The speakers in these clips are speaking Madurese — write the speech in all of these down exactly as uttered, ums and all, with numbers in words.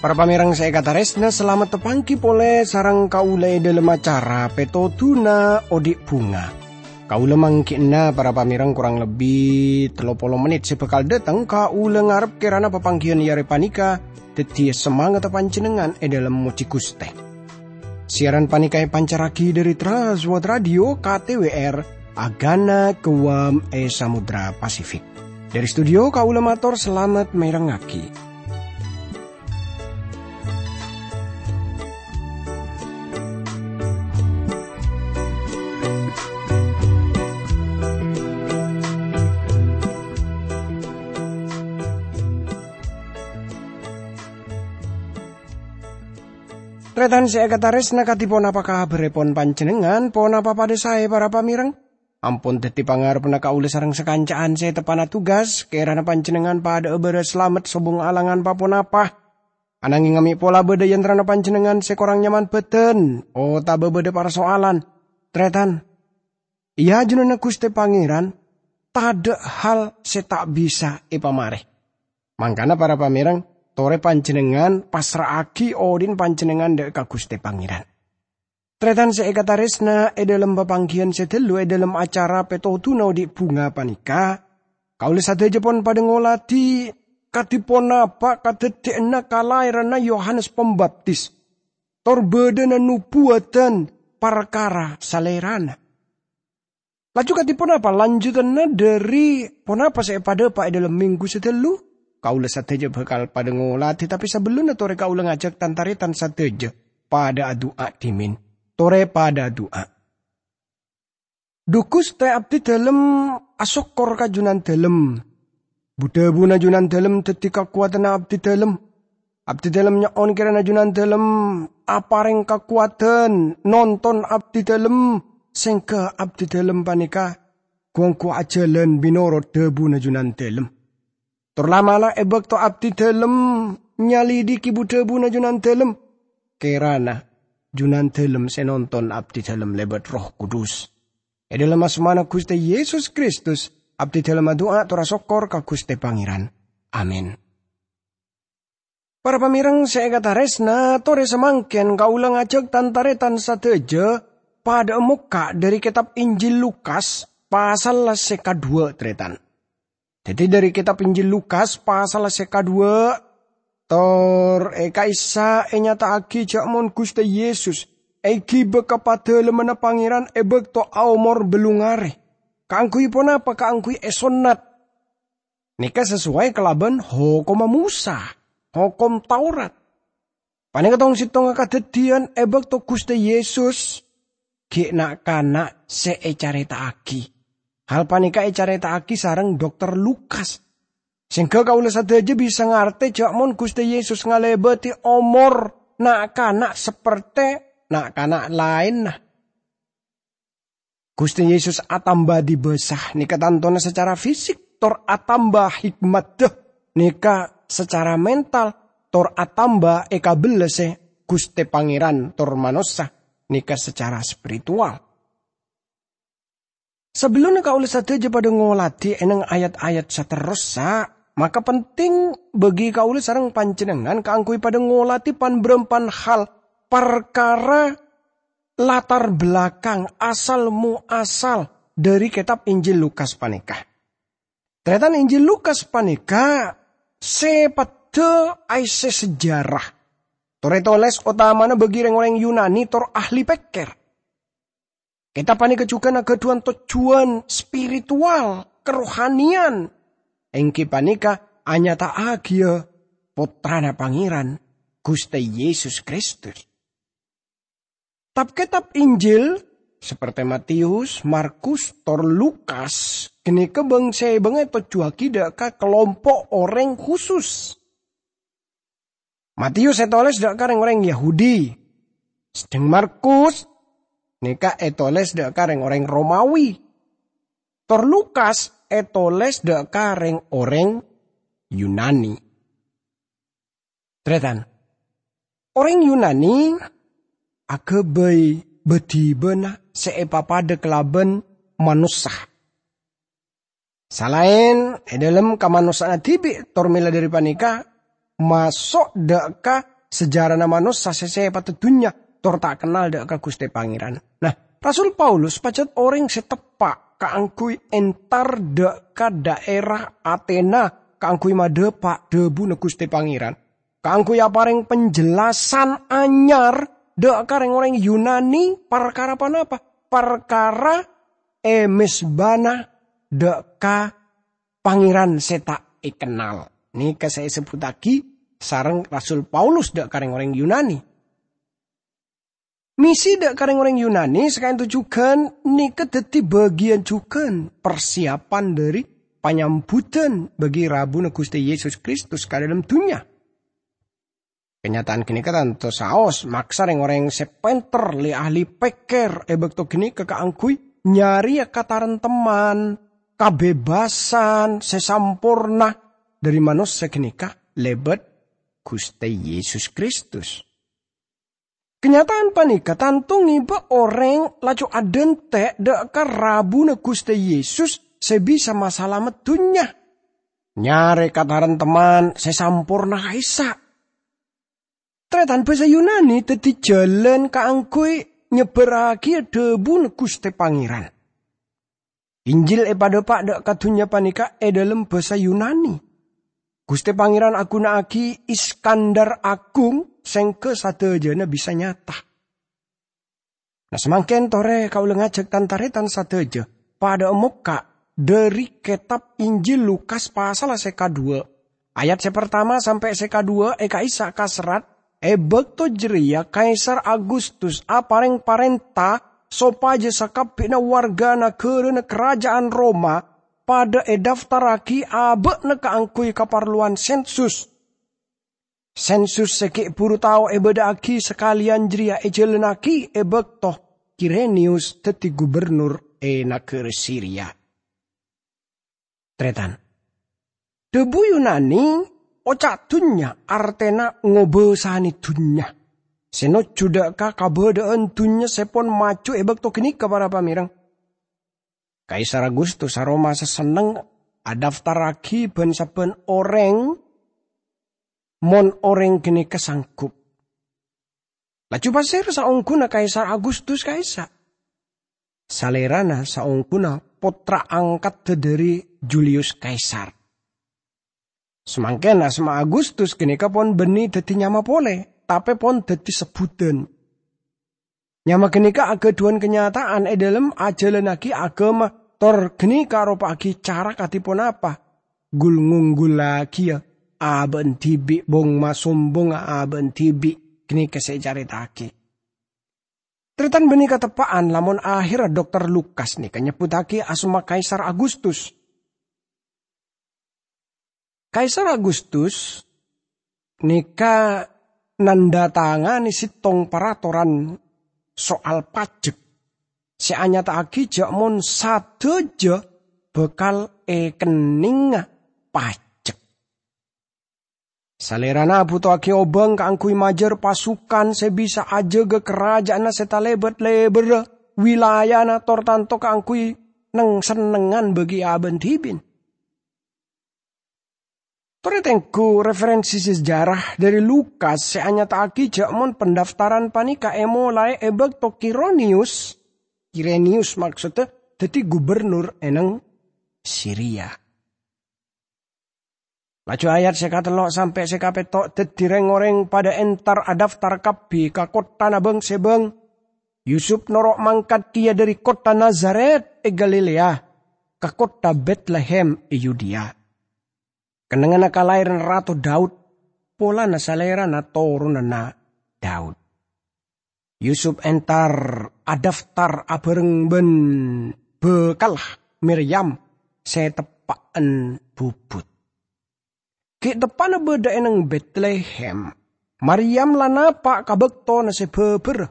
Para pamèrèng sè èkatarèsna, salamet tapangghi polè sareng kaulâ è dhâlem acara Pètodhuna Odi' Bhunga. Kaulâ mangghi'na, para pamèrèng, korang lebbi tello polo mennit sè bhâkal dhâteng. Kaulâ ngarep kèrana papangghiyân è arè panèka dhâddhiyâ samangatta panjhennengngan è dhâlem mojhi Ghustè. Siaran panèka èpancarraghi dhâri Trans World Radio K T W R, Agana Guam è Samudra Pasifik. Dhâri studio kaulâ mator salamet mèrengngaghi. Tarètan sè èkatarèsna, kadhi ponapa kabhârrèpon panjhennengngan? Ponapa padhâ saè, para pamèrèng? Ampon dhâddhi pangarebbhânna kaulâ sareng sakanca'an sè teppa'na tugas, kèrana panjhennengngan padhâ'â bârâs salamet sobung alangan pa-ponapa. Ananghing mè' pola bâdâ è antarana panjhennengngan sè korang nyaman bhâdhân, otabâ bâdâ parsoalan. Tarètan, è ajunanna Ghustè Pangèran, tadâ' hal sè ta' bisa èpamarè. Mangkana, para pamèrèng, torè panjhennengngan passra'aghi odhi'na panjhennengngan dhâ' ka Ghustè Pangèran. Tarètan sè èkatarèsna, è dhâlem papangghiyân sè ghâllu è dhâlem acara Pètodhuna Odi' Bhunga panèka, kaulâ sadhâjâ pon padhâ ngolatè kadhi ponapa kadhâddhiyânna kalaèranna Yohanes Pambaptis, tor bâdâna nobuwâdhân parkara Salèrana. Laju kadhi ponapa lanjutanna dhâri ponapa sè èpadhâpa' è dhâlem minggu sè ghâllu? Kaulâ sadhâjâ bhâkal padhâ ngolatè, tapè sabellunna torè kaulâ ngajhâk tan-tarètan sadhâjâ padhâ adu'a dhimèn. Torè padhâ adu'a. Dhu Ghustè, abdhi dhâlem asokkor ka Jhunandhâlem. Bu-dhâbuna Jhunandhâlem dhâddhi kakowadhânna abdhi dhâlem. Abdhi dhâlem nyo'on kèrana Jhunandhâlem aparèng kakowadhân nonton abdhi dhâlem, sèngghâ abdhi dhâlem panèka ghu-ongghu ajhâlân mènorot dhâbuna Jhunandhâlem. Tor la'-mala' è bâkto abdhi dhâlem nyalidhiki bu-dhâbuna Jhunandhâlem, kèrana Jhunandhâlem sè nonton abdhi dhâlem lèbât Erroh Kudus. È dhâlem asmana Ghustè Yesus Kristus, abdhi dhâlem adu'a tor asokkor ka Ghustè Pangèran. Amin. Para pamèrèng sè èkatarèsna, torè samangkèn kaulâ ngajhâk tan-tarètan sadhâjâ padhâ'â mokka' dhâri kètab Injil Lukas, pasal sè kadhuwâ', tarètan. Dhâddhi, dhâri kètab Injil Lukas, pasal sè kadhuwâ', tor è ka'issa' ènyata'aghi jhâ' mon Ghustè Yesus èghibâ ka Padalemmanna Pangèran è bâkto aomor bâllung arè. Kaangghuy ponapa? Kaangghuy èsonnat. Nèka sasoway kalabân hokomma Mosa, Hokom Taurat. Panèka tong-settongnga kadhâddhiyân è bâkto Ghustè Yesus ghi' na'-kana' sè ècarèta'aghi. Hal panèka ècarèta'aghi sareng Dokter Lukas. Sèngghâ kaulâ sadhâjâ bisa ngartè jhâ' mon Ghustè Yesus ngalèbâdhi omor na'-kana' saperte na'-kana' laènna. Ghustè Yesus atamba dibâsa, nèka tantona sacara fisik, tor atamba hikmadda, nèka sacara mental, tor atamba èkabellâsè Ghustè Pangèran tor manossa, nèka sacara spiritual. Sabellunna kaulâ sadhâjâ padhâ ngolatè è nèng ayat-ayat saterrossa, maka penting bagi kaulâ sareng panjhennengngan kaangghuy padhâ ngolatè pan-bârâmpan hal parkara latar belakang asal muasal dhâri kètab Injil Lukas panèka. Tarètan, Injil Lukas panèka sè peddhâ aèssè sejarah. Tor ètolès otamana bagi rèng-orèng Yunani tor ahli pèkkèr. Kètab panèka jhughân aghâdhuwân tojjhuwân spiritual, karohaniyan, èngghi panèka anyata'aghiyâ Pottrana Pangèran, Ghustè Yesus Kristus. Tab-kètab Injil, saperte Matius, Markus, tor Lukas, ghânèka bâng-sèbângnga ètojjhuwâghi dhâ' ka kalompo' orèng khusus. Matius ètolès dhâ' ka rèng-orèng Yahudi, sadhâng Markus nèka ètolès dhâ' ka rèng-orèng Romawi, tor Lukas ètolès dhâ' ka rèng-orèng Yunani. Tarètan, orèng Yunani aghâbây bâdhibâna sè èpapadâ kalabân manossa. Salaèn è dhâlem kamanossa'anna dhibi', tor mèla dhâri panèka maso' dâ' ka sejarana manossa sè sèpatta dhunnya, tor ta' kennal dâ' ka Ghustè Pangèran. Nah, Rasul Paulus pajhât orèng sè teppa' kaangghuy entar dâ' ka dhaèra Atena kaangghuy madhâpa' dhâbuna Ghustè Pangèran, kaangghuy aparèng penjelasan anyar dâ' ka rèng-orèng Yunani. Parkara ponapa? Parkara è mezbana dâ' ka Pangèran sè ta' èkennal. Nèka sè èsebbhuttaghi sareng Rasul Paulus dâ' ka rèng-orèng Yunani. Misi dâ' ka rèng-orèng Yunani sakaènto jhughân nèka dhâddhi bâgiyân jhughân parsiyapan dhâri panyambhudhân bâgi rabuna Ghustè Yesus Kristus ka dhâlem dhunnya. Kanyata'an ghânèka tanto saos maksa rèng-orèng sè pènter, li-ahli pèkkèr è bâkto ghânèka kaangghuy nyarèya kataremtemman, kabebassan sè samporna dhâri manossa ghânèka lèbât Ghustè Yesus Kristus. Kanyata'an panèka tanto ngèbâ orèng laju adhânte' dâ' ka rabuna Ghustè Yesus sè bisa masalamet dhunnya. Nyarè kataremtemman sè samporna ka'issa'. Tarètan, bhâsa Yunani dhâddhi jhâlân kaangghuy nyebbhârraghi dhâbuna Ghustè Pangèran. Injil èpadhâpa' dâ' ka dhunnya panèka è dhâlem bhâsa Yunani. Ghustè Pangèran aghuna'aghi Iskandar Agung sèngghâ sadhâjâna bisa nyata. Nah, samangkèn torè kaulâ ngajhâk tan-tarètan sadhâjâ padhâ'â mokka' dhâri kètab Injil Lukas pasalla sè kadhuwâ', ayat sè partama sampè' sè kadhuwâ' è ka'issa' kaserrat, "È bâkto jârèya Kaisar Agustus aparèng parènta sopajâ sakabbhiyânna warga naghârâna karaja'an Roma padhâ èdaftarraghi abâ'na kaangghuy kaparlowan sensus." Sensus sè ghi' bhuru tao èbâdhâ'aghi sakalèyan jârèya èjhâlânnaghi è bâkto Kireniyus dhâddhi gubernur è naghârâ Siria. Tarètan, dhâbu Yunani oca' dhunnya artèna ngobâsanè dhunnya, sè nojjhu dâ' ka kabâdâ'ân dhunnya sè pon maju è bâkto ghânèka, para pamèreng. Kaisar Agustus Roma sè senneng adaftarraghi bân-sabbhân orèng mon orèng ghânèka sanggup. Laju pasèra saongghuna Kaisar Agustus ka'issa'? Salèrana saongghuna pottra angkadda dhâri Julius Kaisar. Samangkèn asma Agustus ghânèka pon bânnè dhâddhi nyama polè, tapè pon dhâddhi sebbhudhân. Nyama ghânèka aghâdhuwân kanyata'an è dhâlem ajhâlânnaghi aghâma, tor ghânèka aropa'aghi cara kadhi ponapa ghul-ngongghullaghiyâ abâ'na dhibi', bong-masombongnga abâ'na dhibi'. Ghânèka sè ècarèta'aghi. Tarètan, bânnè kateppa'an lamon ahèrra Dokter Lukas nèka nyebbhuttaghi asma Kaisar Agustus. Kaisar Agustus nèka nandhatanganè sèttong paratoran soal pajek sè anyata'aghi jâ' mon sadhâjâ bhâkal èkennèngnga pajek. Salèrana bhuto'aghi obâng kaangghuy majâr pasukan sè bisa ajâgâ karaja'anna sè talèbât lèbârrâ wilayana tor tanto kaangghuy neng-sennengngan bâgi abâ'na dhibi'. Torè tengghu referensi sejarah dhâri Lukas sè anyata'aghi jâ' mon pendaftaran panèka èmolaè è bâkto Kironius, Kirenius maksodda, dhâddhi gubernur è neng Siria. Laju ayat sè katello' sampè' sè kapètto' dhâddhi rèng-orèng padâ entar adaftar kabbhi ka kotthana bâng-sèbâng. Yusuf noro' mangkat kèya dhâri kottha Nazaret è Galilea ka kottha Betlehem è Yudea, kennengnganna kalaèran Rato Daud, polana salèrana toronanna Daud. Yusuf entar adaftar abhâreng bân bhâkalla Miryam sè teppa'an bubut. Ghi' teppa'na bâdâ è neng Betlehem, Maryam la napa' ka bâktona sè bhâbhârrâ.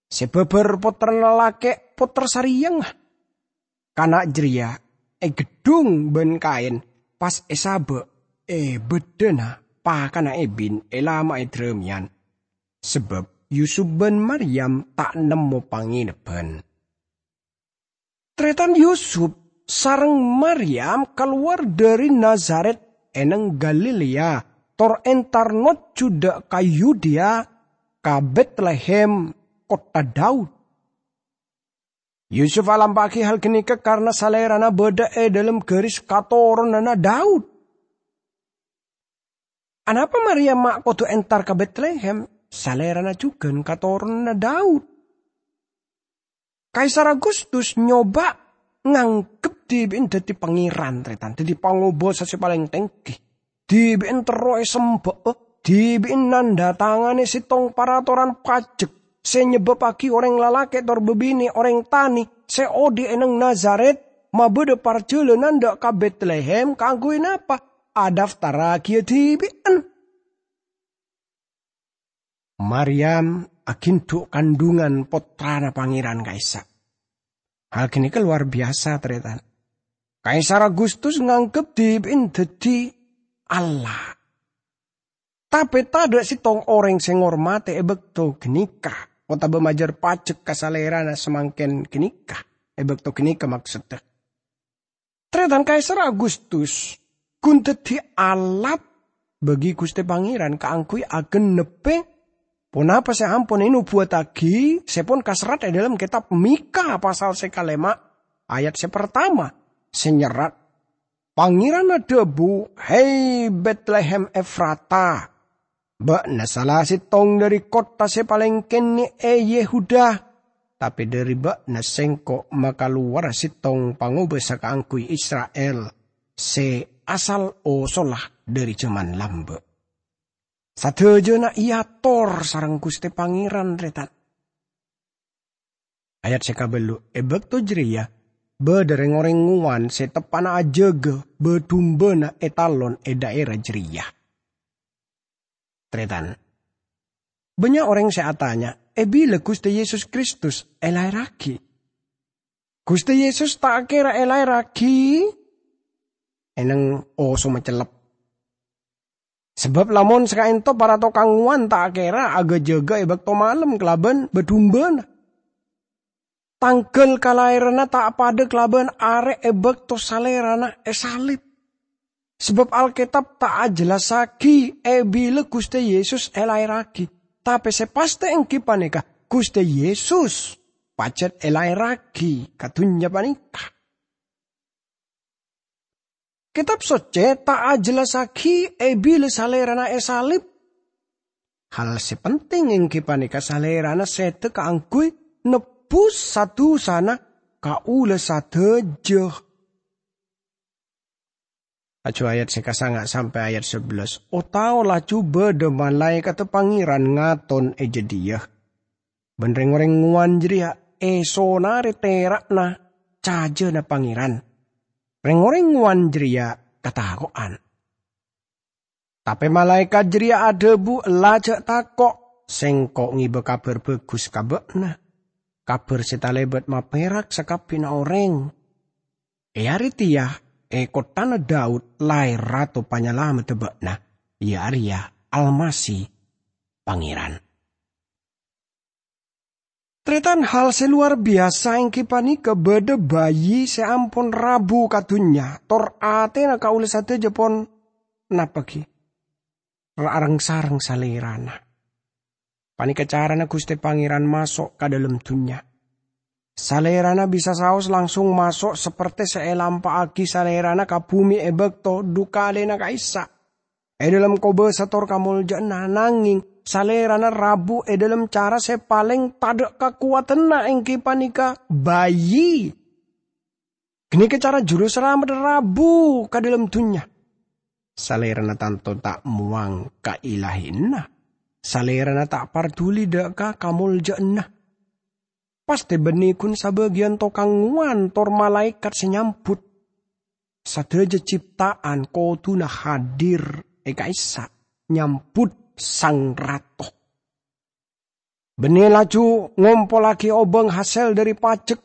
Sè bhâbhâr pottrana lakè' pottra sarèyangnga. Kana' jârèya ègheddhung bân kaèn, pas èsabâ' è bâddhâna pakana èbin èlama'è dârâmèyan, sabâb Yusuf bân Maryam ta' nemmo pangènebhân. Tarètan Yusuf sareng Maryam kalowar dhâri Nazaret è neng Galilea, tor entar nojjhu dâ' ka Yudea, ka Betlehem, kottha Daud. Yusuf alampa'aghi hal ghânèka karana salèrana bâdâ è dâlem ghâris katoronanna Daud. Anapa Maryam ma' kodhu entar ka Betlehem? Salèrana jhughân katoronanna Daud. Kaisar Agustus nyoba nganggep dhibi'en dhâddhi pangèran, tarètan, dhâddhi pangobâsa sè palèng tèngghi. Dhibi'en terro èsemba'a, dhibi'en nandhatanganè sèttong paratoran pajek sè nyebbabbhâghi orèng lalakè' tor bâbinè' orèng tanè sè odi' è neng Nazaret mabâdâ parjhâlânan dâ' ka Betlehem kaangghuy napa? Adhaftarraghiyâ dhibi'en. Maryam aghindhu' kandhungan Pottrana Pangèran ka'issa'. Hal ghânèka lowar biyasa, tarètan. Kaisar Agustus nganggep dhibi'en dhâddhi Allah. Tapè tadâ' sèttong orèng sè ngormadhi è bâkto ghânèka, otabâ majâr pajek ka salèrana samangkèn ghânèka, è bâkto ghânèka maksoddhâ. Tarètan Kaisar Agustus ghun dhâddhi alat bâgi Ghustè Pangèran kaangghuy agennebbhi ponapa sè ampon ènobuwattaghi, sè pon kaserrat è dâlem kètab Mikha pasal sè kalèma', ayat sè partama, sè nyerrat, Pangèran adhâbu, "Hè, Betlehem Efrata, bâ'na sala sèttong dhâri kottha sè palèng kènè' è Yehuda, tapè dhâri bâ'na Sèngko' makalowara sèttong pangobâsa kaangghuy Isra'il sè asal osolla dhâri jhâman lambâ'." Sadhâjâna èator sareng Ghustè Pangèran, tarètan. Ayat sè kabâllu', è bâkto jârèya bâdâ rèng-orèng ngowan sè teppa'na ajâgâ bâ-dumbâna è talon è dhaèra jârèya. Tarètan, bânnya' orèng sè atanya, "È bilâ Ghustè Yesus Kristus èlaèrraghi?" Ghustè Yesus ta' kèra èlaèrraghi è neng osomma cellep. Sabâb lamon sakaènto para tokang ngowan ta' kèra aghâjâgâ è bâkto malem kalabân bâ-dumbâna. Tangghâl kalaèranna ta' padâ kalabân arè è bâkto Salèrana èsalib. Sabâb Alkètab ta' ajhellassaghi è bilâ Ghustè Yesus èlaèrraghi. Tapè sè pastè èngghi panèka, Ghustè Yesus pajhât èlaèrraghi ka dhunnya panèka. Kètab Soccè ta' ajhellassaghi è bilâ Salèrana èsalib. Hal sè penting èngghi panèka Salèrana sèdhâ kaangghuy nebbhus sa-dusana kaulâ sadhâjâ. Laju ayat sè kasanga' sampè' ayat sabellâs, "Otao laju bâdâ malaèkatta Pangèran ngaton è jâdiyâ, bân rèng-orèng ngowan jârèya èsonarè tèra'na cajâna Pangèran. Rèng-orèng ngowan jârèya katako'an. Tapè malaèkat jârèya adhâbu, 'Ella jhâ' tako', Sèngko' ngèbâ kabhâr bhâghus ka bâ'na, kabhâr sè talèbât mapèrak sakabbhiyânna orèng. È arè tèya, è kotthana Daud, laèr Rato Panyalameddhâ bâ'na, iyâ arèya Almasih Pangèran.'" Tarètan, hal sè lowar biyasa èngghi panèka bâdâ bayi sè ampon rabu ka dhunnya, tor atèna kaulâ sadhâjâ pon napa ghi? Ra-, areng-sareng Salèrana. Panèka carana Ghustè Pangèran maso' ka dâlem dhunnya. Salèrana bisa saos langsung maso' sapertè sè èlampa'aghi Salèrana ka bhumè è bâkto dhu kalèna ka'issa'. È dâlem kobâsa tor kamoljâ'ânna, nangèng Salèrana rabu è dâlem cara sè palèng tadâ' kakowadhânna, èngghi panèka bayi. Ghânèka cara Jurusalamet rabu ka dâlem dhunnya. Salèrana tanto ta' mowang kailahiyanna. Salèrana ta' parduli dâ' ka kamoljâ'ânna. Pastè bânnè ghun sabâgiyân tokang ngowan tor malaèkat sè nyambut. Sadhâjâ cipta'an kodhuna hadir è ka'issa' nyambut Sang Rato. Bânnè laju ngompollaghi obâng hasèl dhâri pajek.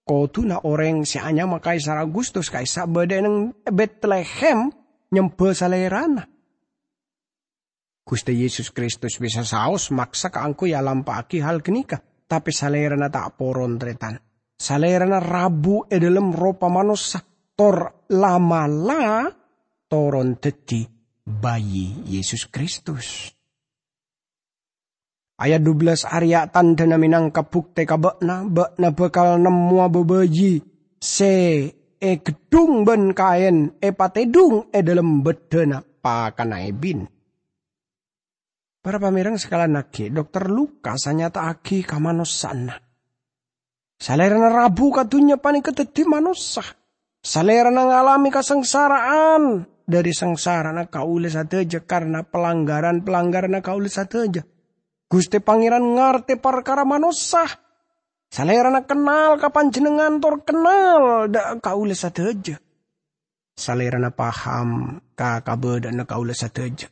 Kodhuna orèng sè anyama Kaisar Agustus ka'issa' bâdâ è neng Betlehem nyembhâ salèrana. Ghustè Yesus Kristus bisa saos maksa kaangghuy alampa'aghi hal ghânèka, tapè Salèrana ta' poron, tarètan. Salèrana rabu è dhâlem ropa manossa, tor la'-mala' toron dhâddhi bhâi Yesus Kristus. Ayat dubellâs arèya tandhâna mènangka buktè ka bâ'na, bâ'na bhâkal nemmowa bhâbhâi sè ègheddhung bân kaèn èpatèdhung è dhâlem bâddhâna pakanna èbin. Para pamèreng sakalangaghi, Dokter Lukas anyata'aghi kamanossa'anna. Salèrana rabu ka dhunnya panèka dhâddhi manossa. Salèrana ngalamè kasangsara'an dhâri sangsara'anna kaulâ sadhâjâ karna palanggaran-palanggaranna kaulâ sadhâjâ. Ghustè Pangèran ngartè parkara manossa. Salèrana kennal ka panjhennengngan tor kennal dhâ' kaulâ sadhâjâ. Salèrana paham ka kabâdâ'ânna kaulâ sadhâjâ.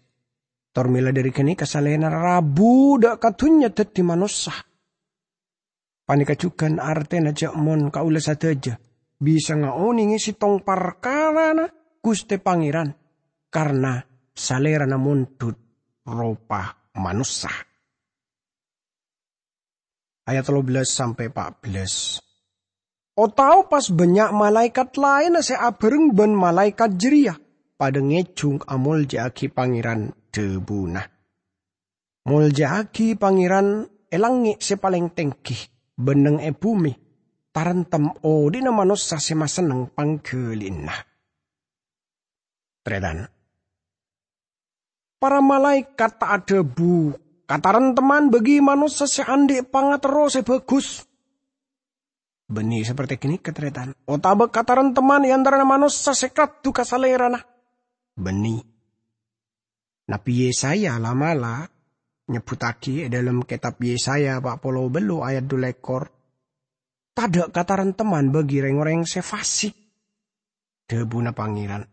Tor mèla dhâri ghânèka Salèrana rabu dhâ' ka dhunnya dhâddhi manossa. Panèka jhughân artèna jhâ' mon kaulâ sadhâjâ bisa ngaonèngè sèttong parkarana Ghustè Pangèran, karna Salèrana mondhut ropa manossa. Ayat tello bellâs sampè' pa' bellâs. Otabâ pas bânnya' malaèkat laènna sè abhâreng bân malaèkat jârèya padâ ngèjhung amoljâ'aghi Pangèran, dhâbuna, "Moljâ'aghi Pangèran è langngè' sè palèng tèngghi, bân neng è bhumè, tarèntem odhi'na manossa sè masenneng pangghâli'ânna." Tarètan. Para malaèkat ta' adhâbu, "Katarèntemman bâgi manossa sè andi' pangaterro sè bhâghus." Bânnè saperte ghânèka, tarètan, otabâ katarèntemman è antarana manossa sè kaddhu ka Salèrana. Bânnè. Nabbhi Yesaya la'-mala' nyebbhuttaghi è dhâlem kètab Yesaya pa' polo bâllu' ayat dhu lèkor, "Tadâ' katarèntemman bâgi rèng-orèng sè fasik." Dhâbuna Pangèran,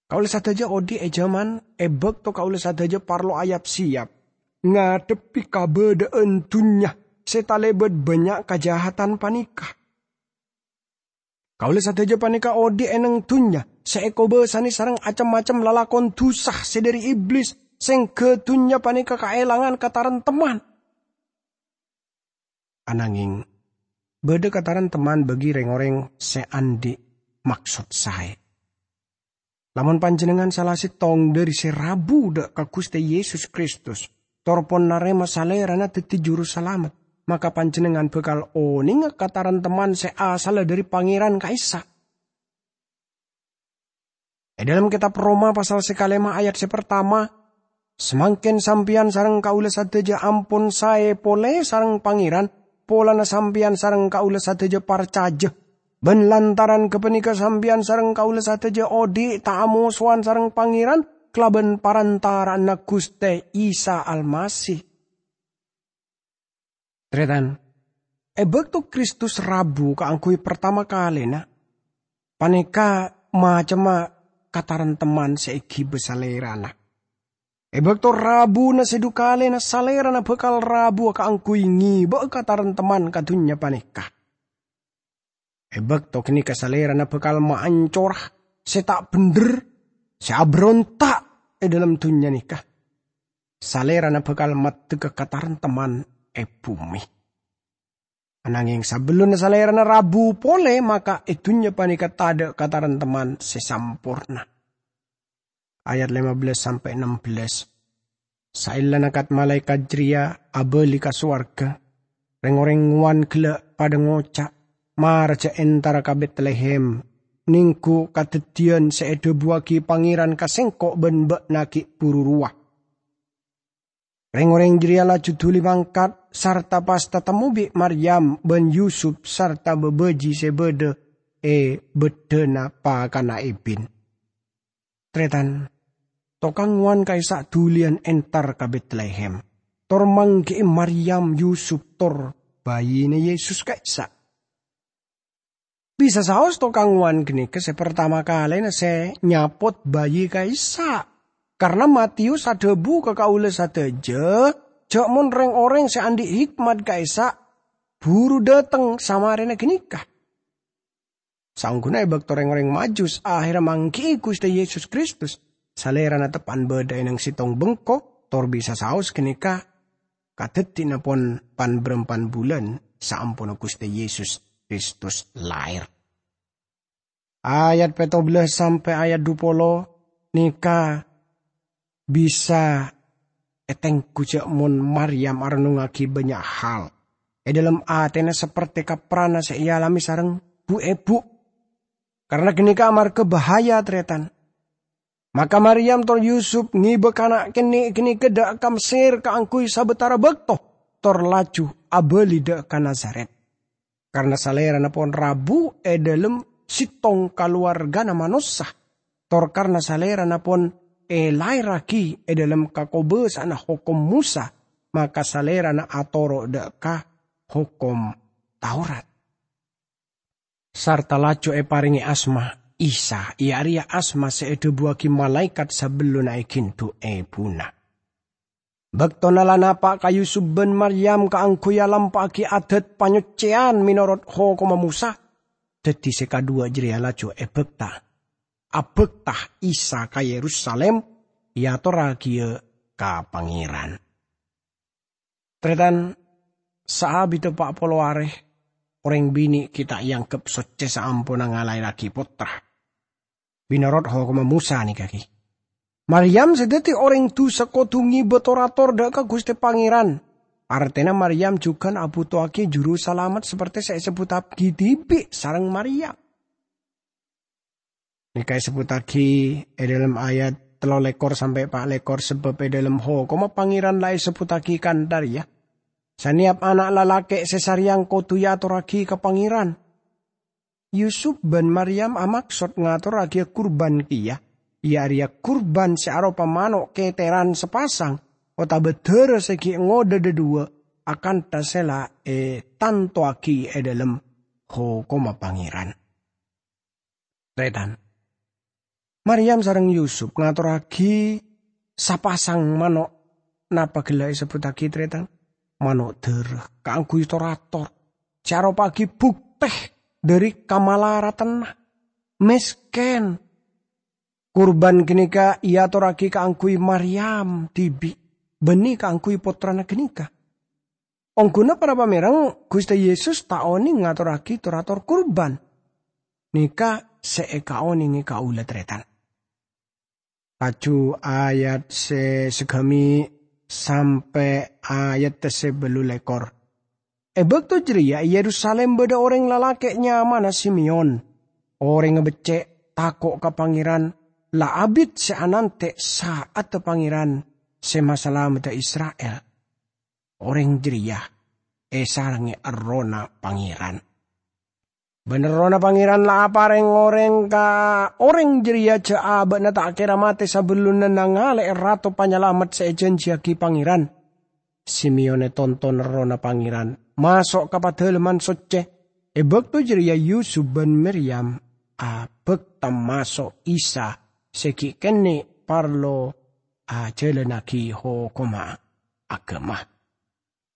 "Kaulâ sadhâjâ odhi' è jhâman è bâkto kaulâ sadhâjâ parlo ayap-sèyap ngadhebbhi kabâdâ'ân dhunnya sè talèbât bânnya' kajahadhân panèka. Kaulâ sadhâjâ panèka odhi' è neng dhunnya sè èkobâsanè sareng cem-macem lalakon dhusa sè dhâri Iblis, sèngghâ dhunnya panèka kaèlangan katarèntemman." Anangèng, bâdâ katarèntemman bâgi rèng-orèng sè andi' maksod saè. Lamon panjhennengngan sala sèttong dhâri sè rabu dhâ' ka Ghustè Yesus Kristus, tor pon narèma Salèrana dhâddhi Jurusalamet, maka panjhennengngan bhâkal onènga katarèntemman sè asalla dhâri Pangèran ka'issa'. È dhâlem kètab Roma pasal sè kalèma ayat sè partama, "Samangkèn sampèyan sareng kaulâ sadhâjâ ampon saè polè sareng Pangèran, polana sampèyan sareng kaulâ sadhâjâ parcajâ. Bân lantaran ghâpanèka sampèyan sareng kaulâ sadhâjâ odhi' ta' amosowan sareng Pangèran kalabân parantara'anna Ghustè Isa Almasih." Tarètan, è bâkto Kristus rabu kaangghuy partama kalèna, panèka macemma katarèntemman sè èghibâ Salèrana. È bâkto rabuna sè dhu kalèna, Salèrana bhâkal rabuwâ kaangghuy ngèbâ'â katarèntemman ka dhunnya panèka. È bâkto ghânèka Salèrana bhâkal maancora sè ta' bhendher, sè abhâronta' è dhâlem dhunnya nèka. Salèrana bhâkal maddhâgâ katarèntemman è bhumè. Anangèng sabellunna Salèrana rabu polè, maka è dhunnya panèka tadâ' katarèntemman sè samporna. Ayat lèma bellâs sampè' nembellâs. Saellana kat-malaèkat jârèya abâli ka sowarghâ, rèng-orèng ngowan ghellâ' padâ ngoca', "Mara jhâ' entara ka Betlehem, nèngghu kadhâddhiyân sè èdhâbuwâghi Pangèran ka sèngko' bân bâ'na ghi' buru rowa." Rèng-orèng jârèya laju dhuli mangkat sarta pas tatemmo bi' Maryam bân Yusup sarta bâbâji sè bâdâ è bâddhâna pakanna èbin. Tarètan, tokang ngowan ka'issa' dhuliyân entar ka Betlehem, tor mangghi'i Maryam, Yusup, tor bhâyina Yesus ka'issa'. Bisa saos tokang ngowan ghânèka sè partama kalèna sè nyapot bhâyi ka'issa', karna Matius adhâbu ka kaulâ sadhâjâ jhâ' mon rèng-orèng sè andi' hikmat ka'issa' buru dâteng samarèna ghânèka. Saongghuna è bâkto rèng-orèng Majus ahèrra mangghi'i Ghustè Yesus Kristus, Salèrana teppa'na bâdâ è nang sèttong bengko, tor bisa saos ghânèka kadhâddhina pon pan-bârâmpan bulân saamponna Ghustè Yesus Kristus laèr. Ayat pètto bellâs sampè' ayat dhu polo nèka bisa ètengghu jâ' mon Maryam arennungngaghi bânnya' hal è dhâlem atèna sapertè kaprana sè èalamè sareng bu'-èbu'. Karana ghânèka amarghâ bahaya, tarètan. Maka Maryam tor Yusup ngèbâ kana' kènè' ghânèka dâ' ka Messèr kaangghuy sabâtara bâkto, tor laju abâli dâ' ka Nazaret. Karana salèrana pon rabu è dhâlem sèttong kalowarghâna manossa, tor karana salèrana pon èlaèrraghi è dhâlem kakobâsa'anna Hokom Mosa, maka salèrana atoro' dâ' ka Hokom Taurat. Sarta laju èparèngè asma Isa, iyâ arèya asma sè èdhâbuwaghi malaèkat sabellunna èghindhu èbhuna. Bâktona la napa' ka Yusup bân Maryam kaangghuy alampa'aghi adat panyoccèyan mènorot Hokomma Mosa, dhâddhi sè kadhuwâ jârèya laju èbâkta, abâkta Isa ka Yerusalim, èatorraghiyâ ka Pangèran. Tarètan, saabiddhâ pa' polo arè, orèng binè' ghi' ta' èangghep soccè saamponna ngalaèrraghi pottra. Mènorot Hokomma Mosa nèka ghi. Maryam sè dhâddhi orèng dhusa kodhu ngèbâ tor-ator dâ' ka Ghustè Pangèran. Artèna Maryam jhughân abhutowaghi Jurusalamet sapertè sè èsebbhuttaghi dhibi' sareng Maryam. Nèka èsebbhuttaghi è dhâlem ayat tello lèkor sampè' pa' lèkor, sabâb è dhâlem Hokomma Pangèran la èsebbhuttaghi kantha rèya, "Sanèyap ana' lalakè' sè sarèyang kodhu èatorraghi ka Pangèran." Yusup bân Maryam amaksod ngatorraghiyâ kurban kèya, iyâ arèya kurban sè aropa mano' kètèran sapasang otabâ dârâ sè ghi' ngodâ dhâduwâ akantha sè la ètantowaghi è dhâlem Hokomma Pangèran. Tarètan. Maryam sareng Yusup ngatorraghi sapasang mano', napa ghellâ' èsebbhuttaghi, tarètan? Mano' dârâ kaangghuy tor-ator, sè aropa'aghi buktè dhâri kamalaradhânna, mèskèn. Kurban ghânèka èatorraghi kaangghuy Maryam dhibi', bânnè kaangghuy pottrana ghânèka. Ongghuna para pamèreng, Ghustè Yesus ta' onèng ngatorraghi tor-ator kurban. Nèka sè èkaonèngè kaulâ, tarètan. Laju ayat sè sagâmè' sampè' ayat sè bâllu lèkor. È bâkto jârèya è Yerusalim bâdâ orèng lalakè' nyamana Simeon. Orèngnga beccè', tako' ka Pangèran, la abit sè anantè' sa'adda Pangèran sè masalameddhâ Isra'il. Orèng jârèya èsarengngè Errohna Pangèran. Bân Errohna Pangèran la aparèng orèng ka orèng jârèya jâ' abâ'na ta' kèra matè sabellunna nangalè'è Rato Panyalamet sè èjhânjhiyaghi Pangèran. Simeon ètonton Errohna Pangèran maso' ka Padâlemman Soccè. È bâkto jârèya Yusup bân Miryam abâkta maso' Isa sè ghi' kènè' parlo ajhâlânnaghi hokomma aghâma.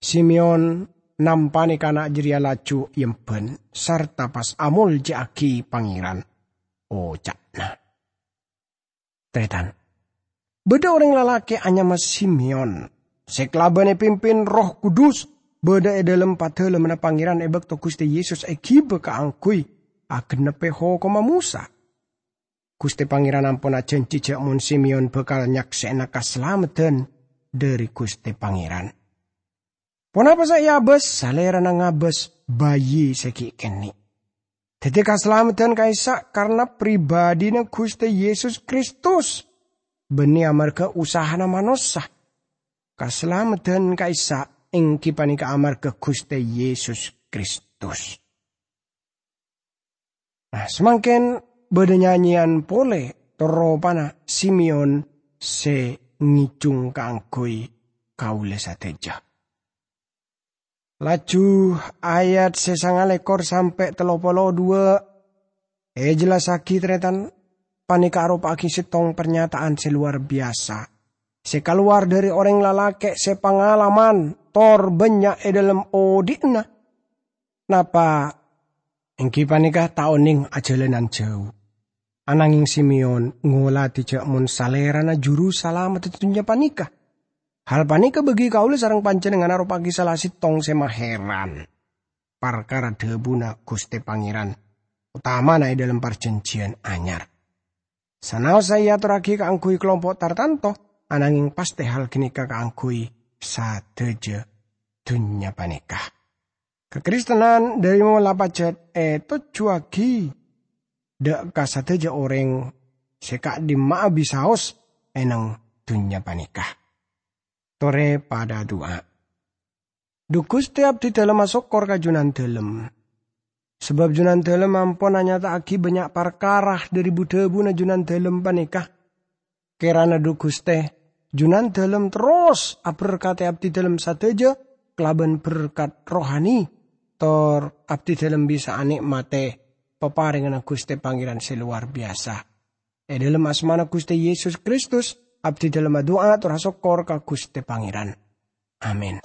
Simeon nampane kana' jareya laju eemban sarta pas amolja'agi Pangeran, oca'na, "Taretan, badha oreng lalake' anyama Simeon se kalaban epimpin Erroh Kudus badha e dhalem Padalemmanna Pangeran e bakto Guste Yesus egiba kaangguy agennepe hokomma Mosa. Guste Pangeran ampon ajanji ja' mon Simeon bakal nyaksena kasalameddhan dhari Guste Pangeran. Ponapa se eabas? Salerana ngabas bayi se gi' kenne'. Daddi kasalameddhan ka'issa' karna pribadina Guste Yesus Kristus, banne amarga usahana manossa. Kasalameddhan ka'issa' enggi paneka amarga Guste Yesus Kristus." Nah, samangken badha nyanyeyan pole tor ropana Simeon se ngejung kaangguy kaula sadaja. Laju ayat se sangalekor sampe' tello polo dua ejellasagi, taretan, paneka aropa'agi settong parnyata'an se lowar biyasa, se kalowar dhari oreng lalake' se pangalaman tor bannya' e dhalem odhi'na. Napa enggi paneka ta' oneng ajalanan jau. Anangeng Simeon ngolatè jhâ' mon Salèrana Juru Salameddhâ dhunnya panèka. Hal panèka bâgi kaulâ sareng panjhennengngan aropa'aghi sala sèttong sè maheran parkara dhâbuna Ghustè Pangèran, otamana è dhâlem Parjhânjhiyân Anyar. Sanaossa èyatorraghi kaangghuy kalompo' tartanto, anangeng pastè hal ghânèka kaangghuy sadhâjâ dhunnya panèka. Kakristenan dhâri mola pajhât ètojjhuwâghi dhâ' ka sadhâjâ orèng sè ka'dimma'a bisaos è neng dhunnya panèka. Torè padâ adu'a. Dhu Ghustè, abdhidhâlem asokkor ka Junandhâlem, sabâb Junandhâlem ampon anyata'aghi bânnya' parkara dhâri bu-dhâbuna Junandhâlem panèka. Kèrana, dhu Ghustè, Junandhâlem terros aberkadhi abdhidhâlem sadhâjâ kalabân berkat rohani, tor abdhidhâlem bisa anè'matè paparènganna Ghustè Pangèran sè lowar biyasa. È dhâlem asmana Ghustè Yesus Kristus, abdhidhâlem adu'a tor asokkor ka Ghustè Pangèran. Amin.